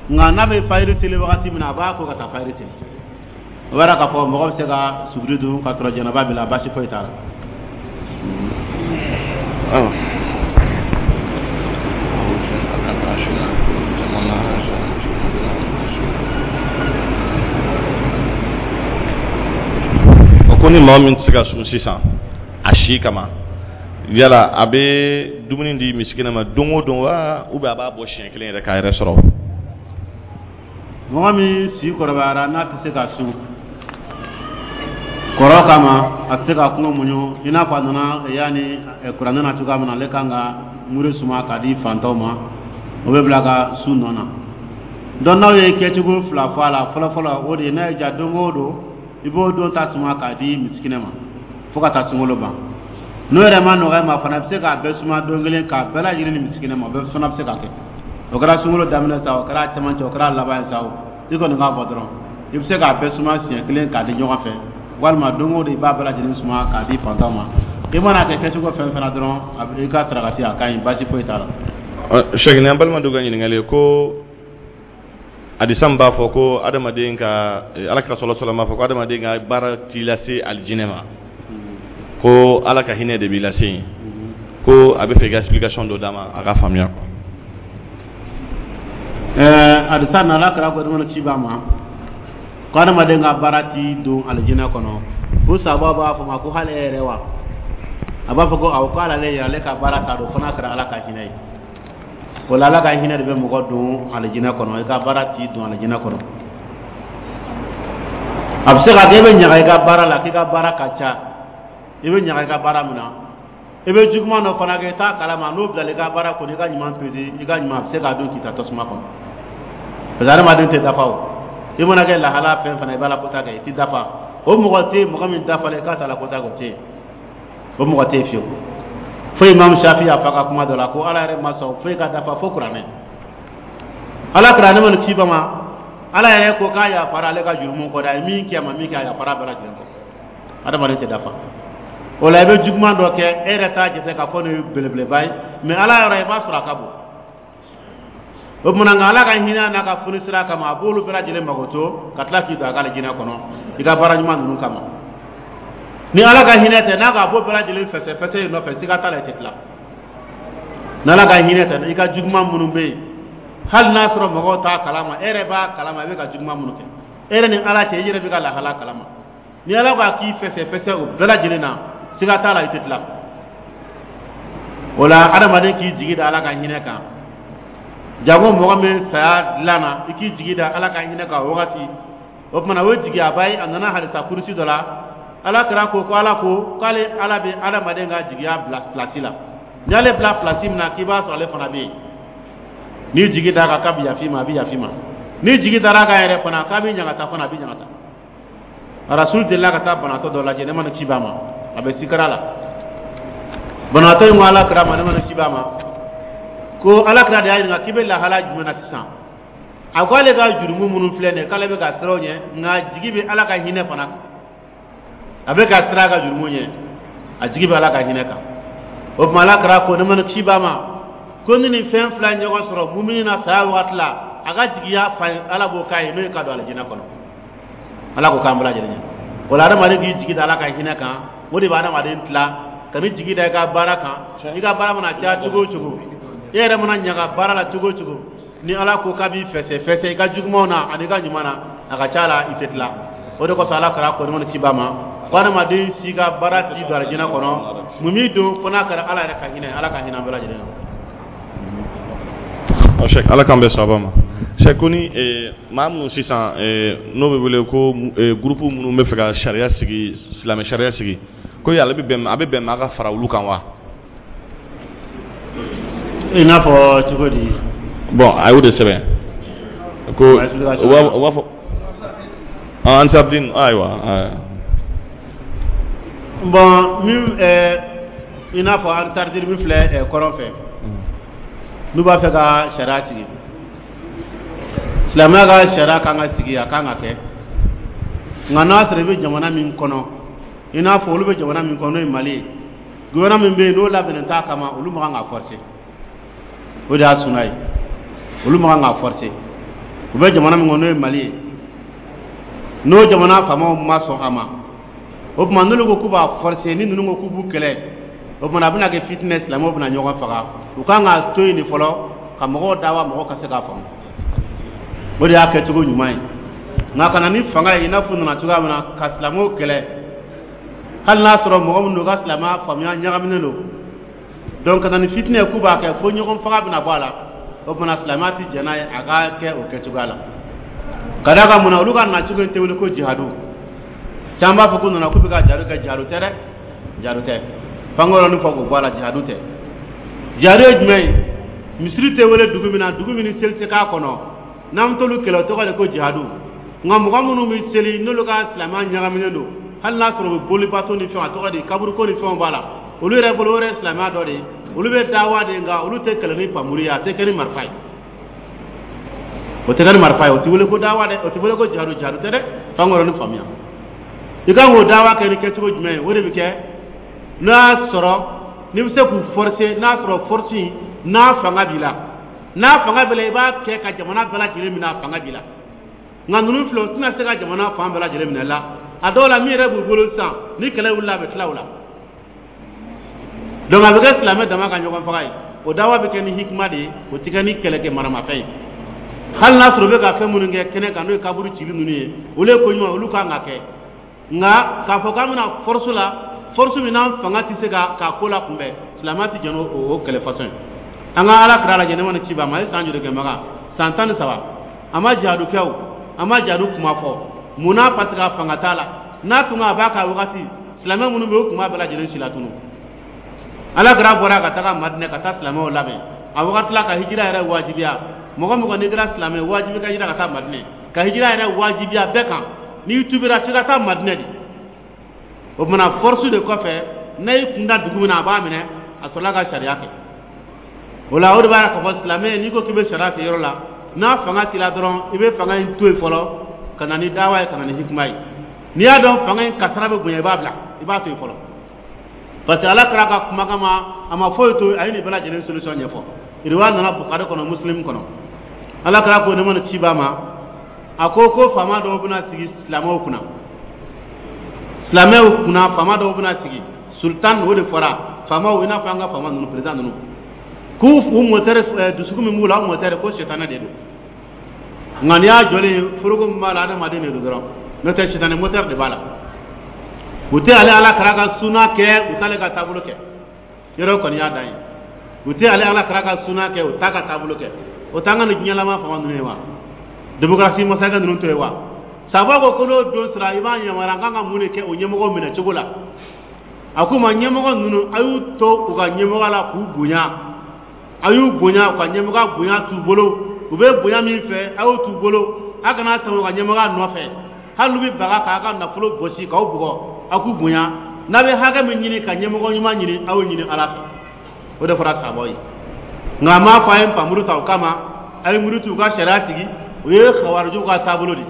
nka n'a bɛ fayiri seli wagati min na, a b'a ko ka taa fayiri seli. O b'a k'a fɔ mɔgɔ bɛ se ka suguri dun ka sɔrɔ janaba b'i la, baasi foyi t'a la. Ko ni maa min tɛ se ka sun sisan a si kama, yala a bɛ dumuni di misikina ma don o don wa, ou bien a b'a bɔ siɲɛ kelen yɛrɛ k'a yɛrɛ sɔrɔ? Mɔgɔ min si kɔrɔbayara, n'a tɛ se ka sun kɔrɔ kama, a tɛ se ka kɔngɔ muɲu, i n'a fɔ a nana yanni kuranɛ na cogoya min na, ale kan ka muru suma k'a di fantanw ma, o bɛ bila ka sun nɔ na. Donc n'aw ye kɛcogo fila fɔ a la, fɔlɔfɔlɔ, o de ye n'a ye ja don o don, i b'o don ta suma k'a di misikinɛ ma fo ka taa sunkalo ban. N'o yɛrɛ ma nɔgɔya ma fana, i bɛ se k'a bɛɛ suma don kelen k'a bɛɛ lajɛlen di misikinɛ ma, o bɛɛ fana bɛ se ka kɛ. O kɛra sunkalo daminɛ sa, o kɛra cɛmancɛ, o kɛra laban ye sa, o i kɔni k'a bɔ dɔrɔn, i bɛ se k'a bɛɛ suma siɲɛ kelen k'a di ɲɔgɔn fɛ, walima don o don i b'a bɛɛ lajɛlen suma k'a di fantanw ma. I mana kɛ kɛcogo fɛn fɛn na dɔrɔn, a bɛ i ka sarakati, a ka ɲi, baasi foyi t'a la. Sɛki, an balima dɔ ka ɲininkali ye, ko hadisa min b'a fɔ ko adamaden ka, Ala kira sɔlɔ sɔlɔ b'a fɔ ko adamaden ka baara t'i lase alijinɛ ma, ko Ala ka hinɛ de b'i lase yen, ko a bɛ fɛ i ka explication dɔ d'a ma a ka faamuya quoi. Hadisa na, Ala kira ko ci b'a ma ko adamaden ka baara t'i don alijinɛ kɔnɔ. Fo sababu b'a fɔ ma ko hali e yɛrɛ wa? A b'a fɔ ko awɔ, ko hali ale yɛrɛ, ale ka baara t'a don fo n'a kɛra Ala ka hinɛ ye. O la, Ala ka hinɛ de bɛ mɔgɔ don alijinɛ kɔnɔ, i ka baara t'i don alijinɛ kɔnɔ. A bɛ se ka kɛ e bɛ ɲaga i ka baara la, k'i ka baara ka ca, i bɛ ɲaga i ka baara min na, i bɛ juguman dɔ fana kɛ, i t'a kalama, n'o bilala i ka baara kɔnɔ, i ka ɲuman pese, i ka ɲuman, a bɛ se k'a dun k'i ta tasuma kɔnɔ, parce que adamaden tɛ dafa. O i mana kɛ lahala fɛn fana, i b'a la kota kɛ, i tɛ dafa. O mɔgɔ tɛ yen, mɔgɔ min dafalen k'a t'a la kota kɛ, o tɛ yen, o mɔgɔ tɛ yen fiyewu. Fo Imam Shafi y'a fɔ a ka kuma dɔ la ko Ala yɛrɛ ma sɔn foyi ka dafa fo kuranɛ. Ala kira ne ma ni ci ba ma, Ala yɛrɛ ko k'a yafara ale ka jurumu kɔ dɛ, a ye min kɛ, a ma min kɛ, a yafara bɛɛ lajɛlen kɔ. Adamaden tɛ dafa. O la, i bɛ juguman dɔ kɛ, e yɛrɛ t'a jate k'a fɔ nin ye belebeleba ye, mais Ala yɔrɔ, i b'a sɔrɔ a ka bon. O tuma nka, Ala ka hinɛ n'a ka foni sira kama, a b'olu bɛɛ lajɛlen magoto ka tila k'i don a ka alijinɛ kɔnɔ i ka baara ɲuman ninnu kama. Ni Ala ka hinɛ tɛ, n'a k'a b'o bɛɛ lajɛlen fɛsɛ fɛsɛ i nɔfɛ, siga t'a la, i tɛ tila. N'Ala ka hinɛ tɛ, i ka juguman minnu bɛ yen, hali n'a sɔrɔ mɔgɔw t'a kalama, e yɛrɛ b'a kalama. I bɛ ka juguman minnu kɛ, e yɛrɛ ni Ala cɛ, i yɛrɛ bɛ ka lahala kalama. Ni Ala ko k'i fɛsɛ fɛsɛ o bɛɛ lajɛlen na, siga t'a la, i tɛ tila. O la, adamaden k'i jigi da Ala ka hinɛ kan. Jango mɔgɔ min saya dilan na, i k'i jigi da Ala ka hinɛ kan o wagati. O tuma, o ye jigiyaba ye. A nana hadisa kurusi dɔ la, Ala kira ko ko Ala ko k'ale Ala bɛ adamaden ka jigiya bila pilasi la. N'i y'ale bila pilasi min na, k'i b'a sɔrɔ ale fana bɛ yen. N'i jigi d'a kan k'a bɛ yafa i ma, a bɛ yafa i ma. N'i jigi dara a kan yɛrɛ fana k'a bɛ ɲagata fana, a bɛ ɲagata. Rasul delila ka taa banabaatɔ dɔ lajɛ, ne ma ni ci b'a ma, a bɛ sikara la. Banabaatɔ in ko Ala kira ma, ne ma ni ci b'a ma, ko Ala kira de y'a ɲininka k'i bɛ lahala jumɛn na sisan. A ko ale ka jurumu minnu filɛ nin ye, k'ale bɛ ka siran o ɲɛ, nka jigi bɛ Ala ka hinɛ fana kan. A bɛ ka siran a ka jurumu ɲɛ, a jigi bɛ Ala ka hinɛ kan. O tuma, Ala kira ko, ne ma ni ci b'a ma, ko ni nin fɛn fila ɲɔgɔn sɔrɔ mumini na saya waati la, a ka jigiya fa ye, Ala b'o k'a ye, n'o ye ka don alijinɛ kɔnɔ. Ala ko k'an bɛɛ lajɛlen ɲɛ. O la, adamaden k'i jigi da Ala ka hinɛ kan, o de bɛ adamaden tila. Ka n'i jigi da i ka baara kan, i ka baara mana caya cogo o cogo, e yɛrɛ mana ɲaga baara la cogo o cogo, ni Ala ko k'a b'i fɛsɛ fɛsɛ i ka jugumanw na ani i ka ɲuman na, a ka ca la, i tɛ tila. O de kosɔn, Ala kɛra ko ni ci b'a ma ko adamaden si ka baara t'i don alijinɛ kɔnɔ, mun b'i don, fo n'a kɛra Ala yɛrɛ ka hinɛ. Ala ka hinɛ an bɛɛ lajɛlen na. Cheikh, Ala k'an bɛn sababa ma. Cheikh, ko ni maa minnu sisan n'o bɛ wele ko groupe minnu bɛ fɛ ka sariya sigi, silamɛ sariya sigi, ko yala a bɛ bɛn maa ka fara olu kan wa? I n'a fɔ cogo di? Bon, a y'o de sɛbɛn ko u b'a fɔ Ansardine, ayiwa. Bon, min i n'a fɔ Ansardine min filɛ kɔrɔn fɛ, n'u b'a fɛ ka sariya sigi, silamɛya ka sariya kan ka sigi, a kan ka kɛ. Nka n'a sɔrɔ i bɛ jamana min kɔnɔ, i n'a fɔ olu bɛ jamana min kɔnɔ, n'o ye Mali ye, gouvernement min bɛ yen, n'o labɛnnen t'a kama, olu man kan ka forcer. O de y'a suna ye. Olu man kan ka forcer. U bɛ jamana min kɔnɔ, n'o ye Mali ye, n'o jamana faamaw ma sɔn a ma, o tuma n'olu ko k'u b'a forcer, ni ninnu ko k'u b'u kɛlɛ, o tuma a bɛna kɛ fitinɛ, silamɛw bɛna ɲɔgɔn faga. U kan ka to yen de fɔlɔ ka mɔgɔw dawa, mɔgɔw ka se k'a faamu. O de y'a kɛcogo ɲuman ye. Nka ka na ni fanga ye, i n'a fɔ u nana cogoya min na ka silamɛw kɛlɛ, hali n'a sɔrɔ mɔgɔ minnu don, u ka silamɛya faamuya ɲagaminen don, donc ka na ni fitinɛ ye k'u b'a kɛ fo ɲɔgɔn faga bɛna bɔ a la, o tuma silamɛya tɛ jɛn n'a ye a ka kɛ o kɛcogoya la. Ka d'a kan mun na? Olu ka nacogo in tɛ wele ko jihadu. Caman b'a fɔ ko nana k'u bɛ ka jihadu kɛ. Jihadu tɛ dɛ, jihadu tɛ. F'an ka yɔrɔnin fɔ k'o bɔ a la. Jihadu tɛ. Jihadu ye jumɛn ye? Misiri tɛ wele dugu min na, dugu min ni seli tɛ k'a kɔnɔ, n'an t'olu kɛlɛ, o tɔgɔ de ko jihadu. Nka mɔgɔ minnu bɛ seli, n'olu ka silamɛya ɲagaminen don, hali n'a sɔrɔ u bɛ bolibato ni fɛnw, a tɔgɔ di, kaburuko ni fɛnw b'a la, olu yɛrɛ bolo, o yɛrɛ ye silamɛya dɔ de ye. Olu bɛ dawa de, nka olu tɛ kɛlɛ ni pamuru ye, a tɛ kɛ ni marifa ye, o tɛ kɛ ni marifa ye. O tɛ wele ko dawa dɛ, o tɛ wele ko jihadu. Jihadu tɛ dɛ. F'an ka yɔrɔnin faamuya. I kan k'o dawa kɛ ni kɛcogo jumɛn ye? O de bɛ kɛ n'o y'a sɔrɔ n'i bɛ se k'u forcer, n'a sɔrɔ force n'a fanga b'i la, n'a fanga b'i la, i b'a kɛ ka jamana bɛɛ lajɛlen minɛ, a fanga b'i la. Nka ninnu filɛ, u tɛna se ka jamana fan bɛɛ lajɛlen minɛ la. A dɔw la, min yɛrɛ b'u bolo sisan, ni kɛlɛ wulila, a bɛ tila o la. Donc a bɛ kɛ silamɛ dama ka ɲɔgɔn faga ye. O dawa bɛ kɛ ni hikima de ye, o tɛ kɛ ni kɛlɛkɛ maramafɛn ye. Hali n'a sɔrɔ u bɛ ka fɛn minnu kɛ kɛnɛ kan, n'o ye kaburu cili ninnu ye, olu ye ko ɲuman, olu kan ka kɛ. Nka k'a fɔ k'an bɛna force la, force min n'an fanga tɛ se ka k'a ko la kunbɛn, silamɛya tɛ jɛn n'o o kɛlɛ façon ye. An ka Ala kira lajɛ, ne ma ni ci b'a ma, a ye san joli kɛ Makan? San 13. A ma jihadu kɛ o, a ma jihadu kuma fɔ. Mun na? Parce que a fanga t'a la. N'a tun a b'a ka wagati, silamɛ minnu bɛ yen, o tun b'a bɛɛ lajɛlen si latunu. Ala kira bɔra ka taga Madinɛ ka taa silamɛw labɛn a wagati la, ka hijira yɛrɛ wajibiya. Mɔgɔ mɔgɔ n'i kɛra silamɛ, wajibi ka hijira ka taa Madinɛ, ka hijira yɛrɛ wajibiya bɛɛ kan. N'i tubira, f'i ka taa Madinɛ de. O tuma, force de kɔfɛ, n'a y'i kun da dugu min na, a b'a minɛ, a sɔrɔla ka sariya kɛ o la. O de b'a yira k'a fɔ silamɛ, n'i ko k'i bɛ sariya kɛ yɔrɔ la, n'a fanga t'i la dɔrɔn, i bɛ fanga in to yen fɔlɔ ka na ni dawa ye, ka na ni hikima ye. N'i y'a dɔn fanga in kasara bɛ bonya, i b'a bila, i b'a to yen fɔlɔ. Parce que Ala kira ka kumakan ma, a ma foyi to, a ye nin bɛɛ lajɛlen solution ɲɛfɔ. Riwaya nana Bukari kɔnɔ, Muslim kɔnɔ. Ala kira ko, nɛɛma ni kisi b'a ma, a ko ko faama dɔw bɛna sigi silamɛw kunna, silamɛw kunna faama dɔw bɛna sigi, sultan, o de fɔra faamaw, i n'a fɔ an ka faama ninnu, président ninnu, k'u u moteur, dusukun min b'u la, o moteur ko sitanɛ de don. Nka n'i y'a jɔlen, foroko min b'a la, adamaden de don dɔrɔn, n'o tɛ sitanɛ moteur de b'a la. U tɛ ale Ala kira ka suna kɛ, u t'ale ka taabolo kɛ. Yɔrɔ kɔni y'a dan ye, u tɛ ale Ala kira ka suna kɛ, u t'a ka taabolo kɛ. O t'an ka nin diɲɛlama fama ninnu ye wa, démocratie masakɛ ninnu to ye wa. Saba ko ko n'o don sera, i b'a yamaruya an kan ka mun de kɛ o ɲɛmɔgɔ minɛ cogo la? A k'u ma, ɲɛmɔgɔ ninnu, a y'u to u ka ɲɛmɔgɔ la k'u bonya, a y'u bonya, u ka ɲɛmɔgɔ bonya t'u bolo, u bɛ bonya min fɛ, a y'o t'u bolo. A kana sɔn u ka ɲɛmɔgɔ nɔfɛ, hali n'u bɛ baga k'a ka nafolo gosi k'aw bugɔ, aw k'u bonya. N'a bɛ hakɛ min ɲini ka ɲɛmɔgɔ ɲuman ɲini, aw y'o ɲini Ala fɛ. O de fɔra sabaw ye. Nka a m'a fɔ a ye npanmuru ta o kama, a ye muru t'u ka sariya sigi. O ye kawarijuw ka taabolo de,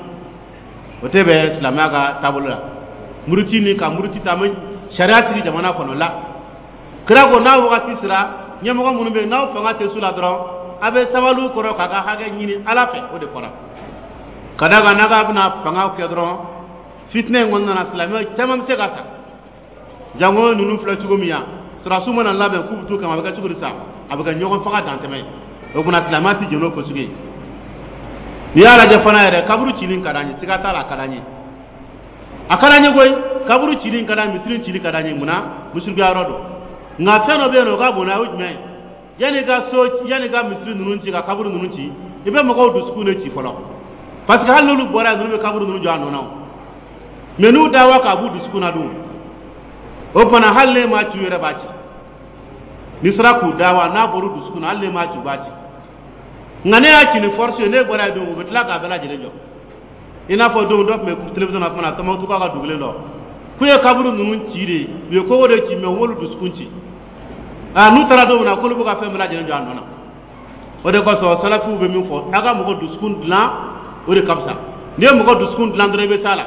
o tɛ bɛn silamɛya ka taabolo la. Muruti ni ka muruti ta, an bɛ sariya sigi jamana kɔnɔ la. Kira ko n'a wagati sera, ɲɛmɔgɔ minnu bɛ yen, n'aw fanga tɛ su la dɔrɔn, a bɛ sabali kɔrɔ k'a ka hakɛ ɲini Ala fɛ. O de fɔra ka d'a kan n'a k'a bɛna fanga kɛ dɔrɔn, fitinɛ in kɔnɔna na, silamɛ caman bɛ se ka sa. Jango ninnu filɛ cogo min yan, sɔrɔdasiw mana labɛn k'u bɛ t'u kama, a bɛ kɛ cogo di sa? A bɛ kɛ ɲɔgɔn faga dantɛmɛ ye. O tuma silamɛya tɛ jɛn n'o ko sugu ye. N'i y'a lajɛ fana yɛrɛ, kaburu cili ka d'an ye, siga t'a la, a ka d'an ye, a ka d'an ye koyi. Kaburu cili ka d'an ye, misiri cili ka d'an ye. Munna? Misirikuya yɔrɔ don. Nka fɛn dɔ bɛ yen nɔ, o ka bon n'a ye, o jumɛn ye? Yanni ka so, yanni ka misiri ninnu ci, ka kaburu ninnu ci, i bɛ mɔgɔw dusukun de ci fɔlɔ, parce que hali n'olu bɔra yen, ninnu bɛ kaburu ninnu jɔ a nɔ na o. Mais n'u dawa k'a b'u dusukun na dun, o fana, hali ne m'a ci, u yɛrɛ b'a ci. N'i sera k'u dawa, n'a bɔr'u dusukun na, hali ne m'a ci, u b'a ci. Nka ne y'a ci ni force ye, ne bɔra yen don, u bɛ tila k'a bɛɛ lajɛlen jɔ. I n'a fɔ don dɔ tun bɛ télévision na kuma na, Tɔnbukutu ka dugulen dɔ, k'u ye kaburu ninnu ci de, u ye kogo de ci, mais u m'olu dusukun ci. Aa, n'u taara don min na, k'olu bɛ ka fɛn bɛɛ lajɛlen jɔ a nɔ na. O de kosɔn salafiw bɛ min fɔ, a ka mɔgɔ dusukun dilan, o de ka fisa. N'i ye mɔgɔ dusukun dilan dɔrɔn, i bɛ s'a la.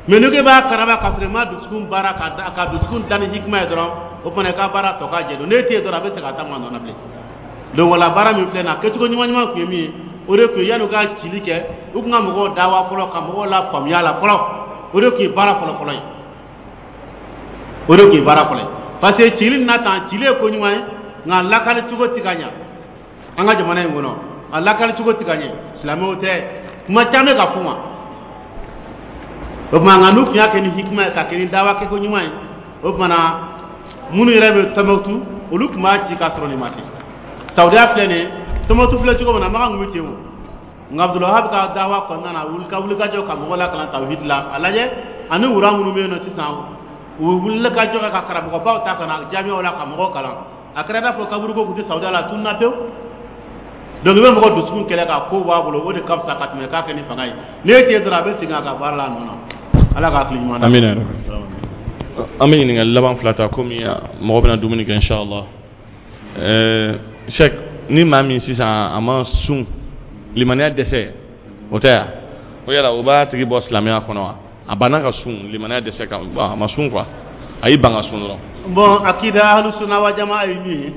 Mais n'i ko i b'a karaba k'a sɔrɔ i ma dusukun baara, ka dusukun dilan ni hikima ye dɔrɔn, o fana i ka baara tɔ ka jɛ don. N'e tɛ yen dɔrɔn, a bɛ segin a ta ma nɔ na bilen. Donc wala baara min filɛ nin ye, a kɛcogo ɲuman ɲuman tun ye min ye, o de tun ye yanni u ka cili kɛ, u tun ka mɔgɔw dawa fɔlɔ, ka mɔgɔw la faamuya la fɔlɔ. O de tun ye baara fɔlɔ fɔlɔ ye, o de tun ye baara fɔlɔ ye, parce que cili na tan, cili ye ko ɲuman ye, nka lakali cogo ti ka ɲa an ka jamana in kɔnɔ. A lakali cogo ti ka ɲɛ, silamɛw tɛ kuma caman bɛ ka f'u ma. O tuma nka n'u tun y'a kɛ ni hikima ye, ka kɛ ni dawa kɛko ɲuman ye, o tuma na minnu yɛrɛ bɛ Tɔnbukutu, olu tun b'a ci k'a sɔrɔ nin ma kɛ. Saudiya filɛ nin ye, Tɔnbukutu filɛ cogo min na, Makan tun bɛ ten o. Nka Abdulwahab ka dawa kɔnɔna na, wuli ka wuli ka jɔ ka mɔgɔw lakalan tawhid la, a lajɛ ani wura minnu bɛ yen nɔ sisan, u wulila ka jɔ ka karamɔgɔbaw ta ka na jamiyaw la ka mɔgɔw kalan. A kɛra i n'a fɔ kaburuko tun tɛ Saudiya la, a tununna pewu. Donc i bɛ mɔgɔ dusukun kɛlɛ ka ko b'a bolo, o de ka fisa ka tɛmɛ k'a kɛ ni fanga ye. N'e tɛ dɔrɔn, a bɛ segin a ka baara la a nɔ na. Ala ka hakili ɲuman d'a ma. Amina. An bɛ ɲininkali laban fila ta, komi mɔgɔ bɛna dumuni kɛ, inshallah. Cheikh, ni maa min sisan a ma sun, limaniya dɛsɛ, o tɛ yan o, yala o b'a tigi bɔ silamɛya kɔnɔ wa? A banna ka sun, limaniya dɛsɛ kan, bon, a ma sun quoi, a y'i ban ka sun dɔrɔn. Bon, akida ahlu sunna wa jamaa ye min ye,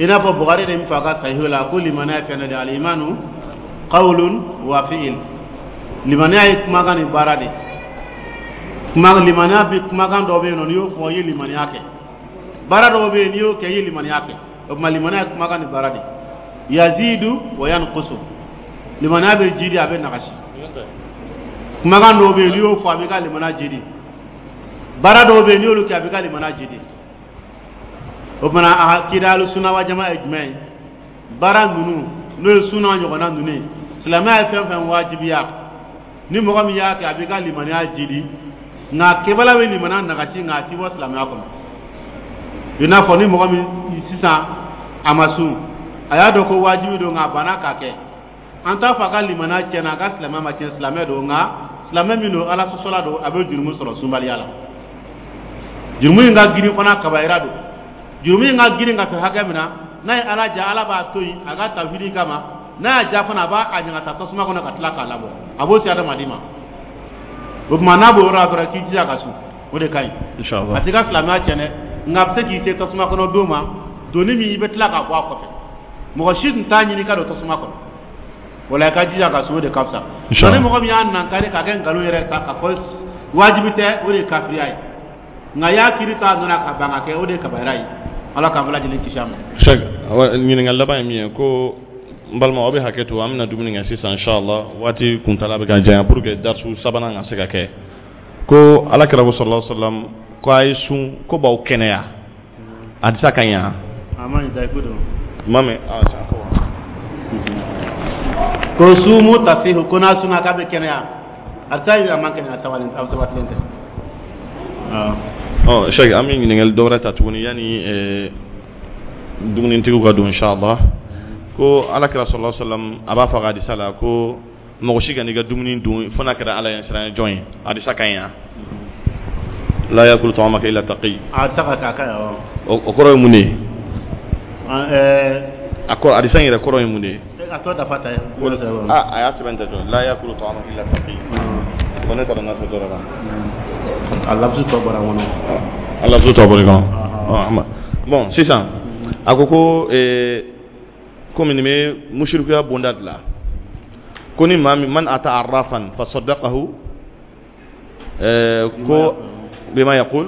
i n'a fɔ Bukhari de min fɔ a ka sahihu la ko limaniya ye fɛn dɔ de ye, alimanu qawlun wa fi'il. Limaniya ye kumakan ni baara de. Kuma limaniya bɛ, kumakan dɔ bɛ yen nɔ, n'i y'o fɔ, i ye limaniya kɛ. Baara dɔw bɛ yen, n'i y'o kɛ, i ye limaniya kɛ. O tuma limaniya ye kumakan ni baara de. Yazidu wa yanqusu, limaniya bɛ jidi, a bɛ nagasi. Kumakan dɔw bɛ yen, n'i y'o fɔ, a b'i ka limaniya jidi. Baara dɔw bɛ yen, n'i y'olu kɛ, a b'i ka limaniya jidi. O tuma a akida ahlu sunna wa jamaa ye jumɛn ye? Baara ninnu, n'o ye sunna ɲɔgɔnna ninnu ye, silamɛya ye fɛn fɛn wajibiya, ni mɔgɔ min y'a kɛ, a b'i ka limaniya jidi. Nka kɛbala bɛ limaniya nagasi, nka a ti bɔ silamɛya kɔnɔ. I n'a fɔ ni mɔgɔ min sisan a ma sun, a y'a dɔn ko wajibi don, nka a banna k'a kɛ, an t'a fɔ a ka limaniya tiɲɛna, a ka silamɛya ma tiɲɛ, silamɛ don. Nka silamɛ min don, Ala sɔsɔla don, a bɛ jurumu sɔrɔ sunbaliya la. Jurumu in ka girin fana, kabayira don. Jurumu in ka girin ka se hakɛ min na, n'a ye Ala ja, Ala b'a to yen a ka tawhidi kama. N'a y'a ja fana, a b'a a ɲagata tasuma kɔnɔ ka tila k'a labɔ, a b'o se adamaden ma. O tuma n'a b'o yɔrɔ la dɔrɔn, k'i jija ka sun, o de ka ɲi. Inshallah. A t'i ka silamɛya tiɲɛ dɛ, nka a bɛ se k'i se tasuma kɔnɔ don ma, donni min i bɛ tila k'a bɔ a kɔfɛ. Mɔgɔ si tun t'a ɲini ka don tasuma kɔnɔ. O la, i ka jija ka sun, o de ka fisa. Nka ni mɔgɔ min y'a nankari ka kɛ nkalon yɛrɛ ta ka fɔ wajibi tɛ, o de ye kafiriya ye. Nka i y'a kiri ta nɔ na ka ban ka kɛ, o de ye kabayira ye. Ala k'an bɛɛ lajɛlen kisi a ma. Cheikh, ɲininkali laban ye min ye ko n balima, aw bɛ hakɛ to, an bɛna dumuni kɛ sisan inshallah. Waati kuntala bɛ ka janya pour que darisu sabanan ka se ka kɛ. Ko Ala kira ko sallallahu alaihi wasallam ko a ye sun ko b'aw kɛnɛya, hadisa ka ɲi wa? A ma ɲi, dayifu don. Ma mɛn. Ko sumu tasihu, ko n'a sunna k'a bɛ kɛnɛya, hadisa in a ma kɛnɛya, sabali, a sabatilen tɛ. Ɔ Cheikh, an bɛ ɲininkali dɔ wɛrɛ ta tuguni yanni dumunitigiw ka don inshallah. Ko Ala kira sallallahu alaihi wasallam a b'a fɔ a ka hadisa la ko mɔgɔ si kan'i ka dumuni dun fo n'a kɛra Ala ɲɛsiranɲɛ jɔn ye. Hadisa ka ɲi wa? La yakulu ta'amaka illa taqi. A ta ka k'a ɲi. O kɔrɔ ye mun de ye? A kɔrɔ, hadisa in yɛrɛ kɔrɔ ye mun de ye? A tɔ dafa ta ye. A y'a sɛbɛn tɛ to la yakulu ta'amaka illa taqi. Ko ne taara n'a fɔ dɔrɔn. A lafusu tɔ bɔra n kɔnɔ. A lafusu tɔ bɔra i kɔnɔ. Bon, sisan a ko komi nin bɛ musirikuya bonda de la, ko ni maa min man ata arrafan fa saddaqahu ko bima yaqul,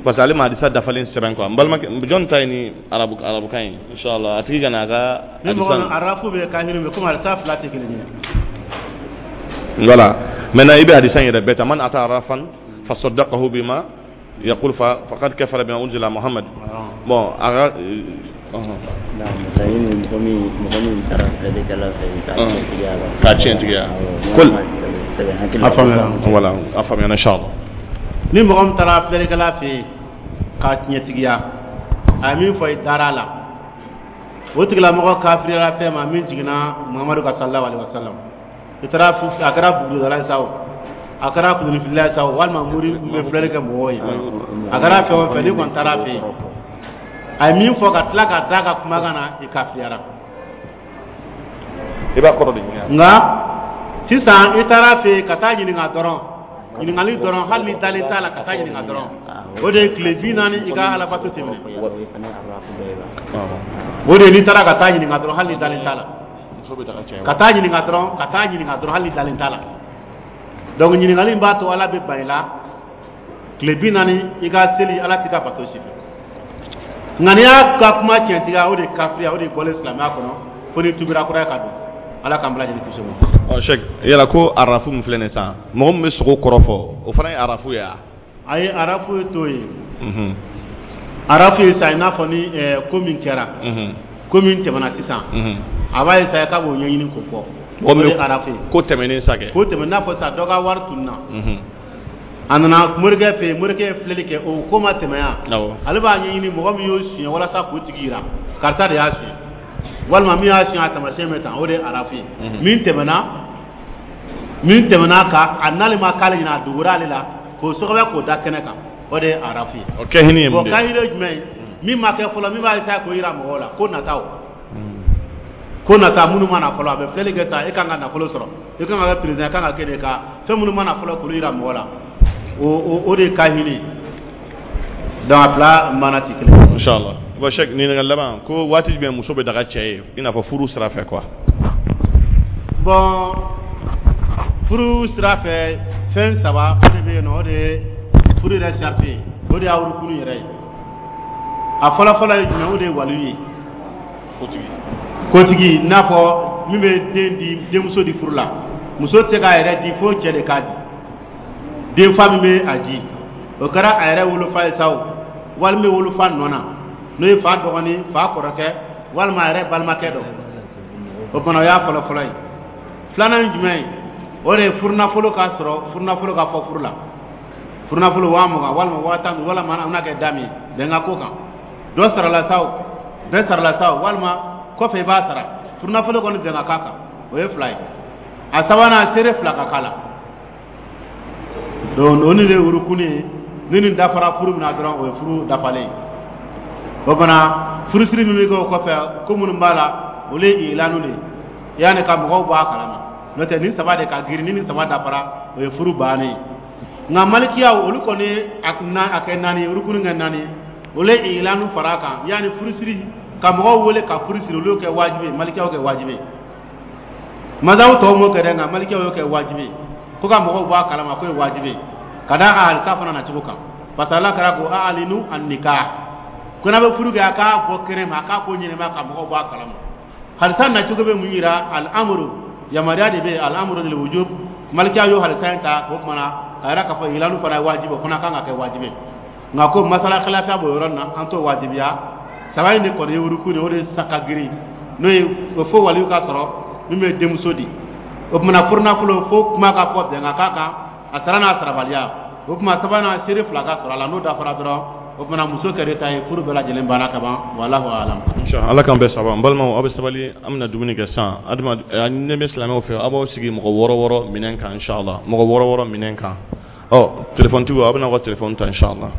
parce que ale ma hadisa dafalen sɛbɛn quoi. N balimakɛ, jɔn ta ye ni arabu arabukan ye inshallah, a tigi ka na a ka. Ni mɔgɔ min arafu bɛ kahiri bɛ, komi hadisa fila tɛ kelen ye. Voilà, maintenant i bɛ hadisa in yɛrɛ bɛɛ ta: man ata arrafan fa saddaqahu bima yaqul fa faqad kafara bima unzila Muhammad. Bon, a ka Laɲini, mɔgɔ min taara filɛlikɛla fɛ k'a tiɲɛtigiya la. K'a tiɲɛtigiya. Ko A faamuyara. Voilà, a faamuyara inshallah. Ni mɔgɔ min taara filɛlikɛla fɛ yen k'a tiɲɛtigiya, a ye min fɔ, i dara a la, o tigilamɔgɔ kafiriyara fɛn ma min jiginna Muhamadu ka sallallahu alaihi wasallam. I taara, a kɛra bugudala ye sa o, a kɛra kunfilila ye sa o, walima mori min bɛ filɛli kɛ mɔgɔw ye, a kɛra fɛn o fɛn, n'i kɔni taara fɛ yen, a ye min fɔ ka tila ka da ka kumakan na, i kafiriyara. I b'a kɔrɔ de ɲini. Nka sisan i taara fɛ yen ka taa ɲininka dɔrɔn, ɲininkali dɔrɔn, hali ni dalen t'a la, ka taa ɲininka dɔrɔn, o de ye tile 40 i ka alabato tɛmɛ. O de ye n'i taara ka taa ɲininka dɔrɔn, hali ni dalen t'a la, ka taa ɲininka dɔrɔn, ka taa ɲininka dɔrɔn, hali ni dalen t'a la. Donc ɲininkali in b'a to Ala bɛ ban i la tile 40, i ka seli, Ala t'i ka bato si fɛ. Nka n'i y'a ka kuma tiɲɛtigiya, o de ye kafiriya, o de ye bɔlen silamɛya kɔnɔ, fo n'i tubira kura ye ka don. Ala k'an bɛɛ lajɛlen kisi o ma. Ɔ Cheikh, yala ko arafu min filɛ nin ye sisan, mɔgɔ min bɛ sogo kɔrɔ fɔ, o fana ye arafu ye wa? Ayi, arafu ye t'o ye. Arafu ye sa i n'a fɔ ni ko min kɛra, ko min tɛmɛna sisan, a b'a ye sa k'a b'o ɲɛɲini k'o fɔ. Mɔgɔ O min de ye bɛ arafu ye. Ko tɛmɛnen sa kɛ. Ko tɛmɛ, n'a fɔ sisan dɔ ka wari tununna, a nana morikɛ fɛ yen, morikɛ ye filɛli kɛ, o ko ma tɛmɛ yan. Ale b'a ɲɛɲini mɔgɔ min y'o suɲɛ walasa k'o tigi yira karisa de y'a suɲɛ, walima min y'a suɲɛ, a taamasiyɛn bɛ tan. O de ye arafu ye. Min tɛmɛna kan, a n'ale ma k'ale ɲɛna, a dogora ale la k'o sɔgɔbɛ k'o da kɛnɛ kan, o de ye arafu ye. O kɛhini ye mun Bon, de ye? Kahiri ye jumɛn ye? Min ma kɛ fɔlɔ, min b'a essayer k'o yira mɔgɔw la ko nataw, ko nata minnu ma na fɔlɔ. A bɛ filɛli kɛ sa, e kan ka nafolo sɔrɔ, e kan ka kɛ président, e kan ka kɛ de ka fɛn minnu ma na fɔlɔ k'olu yira mɔgɔ la, o de ye kahini ye. Donc a fila mana tɛ kelen ye. Inshallah. Bon Cheikh, ɲininkali laban ko waati jumɛn muso bɛ daga cɛ ye, i n'a fɔ furu sira fɛ quoi? Bon, furu sira fɛ, fɛn saba o de bɛ yen nɔ, o de ye furu yɛrɛ sarati ye, o de y'a rukunu yɛrɛ ye. A fɔlɔ fɔlɔ ye jumɛn? O de ye waliyu ye. Kotigi. Kotigi, n'a fɔ min bɛ den di, denmuso di furu la. Muso tɛ se k'a yɛrɛ di fo cɛ de k'a di. Denfa min bɛ a di, o kɛra a yɛrɛ wolofa ye sa o, walima bɛ wolofa nɔ na, n'o ye fa dɔgɔnin, fa kɔrɔkɛ, walima a yɛrɛ balimakɛ dɔ. O fana, o y'a fɔlɔ fɔlɔ ye. Filanan ye jumɛn ye? O de ye furunafolo ka sɔrɔ, furunafolo ka fɔ furu la, furunafolo 20 000 walima 15 000, walima an bɛna kɛ da min ye bɛnkan ko kan, dɔ sarala sa o, bɛɛ sarala sa o, walima kɔfɛ i b'a sara, furunafolo kɔni bɛn ka k'a kan, o ye fila ye. A sabanan, seere fila ka k'a la. Donc o ni de ye urukuni ye. Ni nin dafara furu min na dɔrɔn, o ye furu dafalen ye. O fana, furusiri min bɛ kɛ o kɔfɛ, ko minnu b'a la, olu ye ilanu de ye, yanni ka mɔgɔw bɔ a kalama. N'o tɛ, nin saba de ka girin. Ni nin saba dafara, o ye furu bannen ye. Nka malikiyaw, olu kɔni ye a na a kɛ naani ye, urukuni kɛ naani ye. Olu ye ilanu fara a kan, yanni furusiri. Ka mɔgɔw wele ka furu siri, olu y'o kɛ wajibi ye. Malikiyaw kɛ wajibi ye, mazabu tɔw m'o kɛ dɛ, nka malikiyaw y'o kɛ wajibi ye, ko ka mɔgɔw bɔ a kalama ko ye wajibi ye, ka d'a ka halisa fana nacogo kan, parce que Ala kɛra ko a'linu an-nikah, ko n'a bɛ furu kɛ, a k'a bɔ kɛnɛ ma, a k'a ko ɲɛnɛma ka mɔgɔw bɔ a kalama. Halisa nacogo bɛ mun yira? Al-amru, yamaruya de bɛ yen, al-amru lil wujub. Malikiya y'o halisa in ta o tuma na ka yira k'a fɔ ilanu fana ye wajibi, o fana kan ka kɛ wajibi ye. Nka ko masala khilafiya b'o yɔrɔ in na, an t'o wajibiya. Saba in de kɔni ye wuruku de, o de sa ka girin, n'o ye fo waliyu ka sɔrɔ min bɛ denmuso di. O tuma furunafolo, fo kuma ka fɔ bɛn ka k'a kan, a sara n'a sarabaliya. O tuma sabanan, seere fila ka sɔrɔ a la. N'o dafara dɔrɔn, o tuma muso kɛra ta ye, furu bɛɛ lajɛlen banna ka ban. Wallahu alam. Inshallah, Ala k'an bɛɛ saba. N balimaw, aw bɛ sabali, an bɛna dumuni kɛ sisan. Adama ne bɛ silamɛw fɛ, aw b'aw sigi mɔgɔ wɔɔrɔ wɔɔrɔ minɛn kan, inshallah, mɔgɔ wɔɔrɔ wɔɔrɔ minɛn kan. Ɔ téléphone tigiw, aw bɛna aw ka téléphone ta, inshallah.